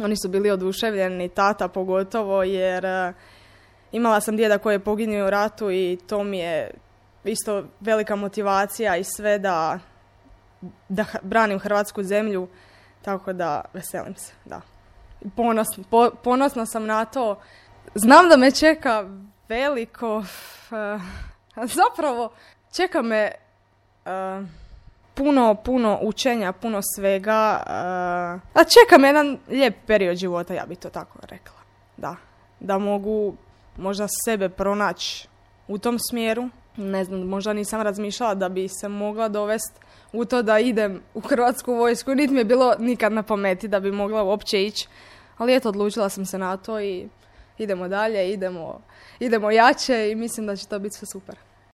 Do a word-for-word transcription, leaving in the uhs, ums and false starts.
Oni su bili oduševljeni, tata pogotovo, jer uh, imala sam djeda koji je poginuo u ratu i to mi je isto velika motivacija i sve da, da branim hrvatsku zemlju, tako da veselim se, da. Ponosna, po, ponosna sam na to. Znam da me čeka veliko, uh, zapravo čeka me uh, puno, puno učenja, puno svega. Uh, a čeka me jedan lijep period života, ja bi to tako rekla. Da, da mogu možda sebe pronaći u tom smjeru. Ne znam, možda nisam razmišljala da bi se mogla dovesti u to da idem u Hrvatsku vojsku. Niti mi je bilo nikad na pameti da bi mogla uopće ići. Ali eto, odlučila sam se na to i idemo dalje, idemo, idemo jače i mislim da će to biti sve super.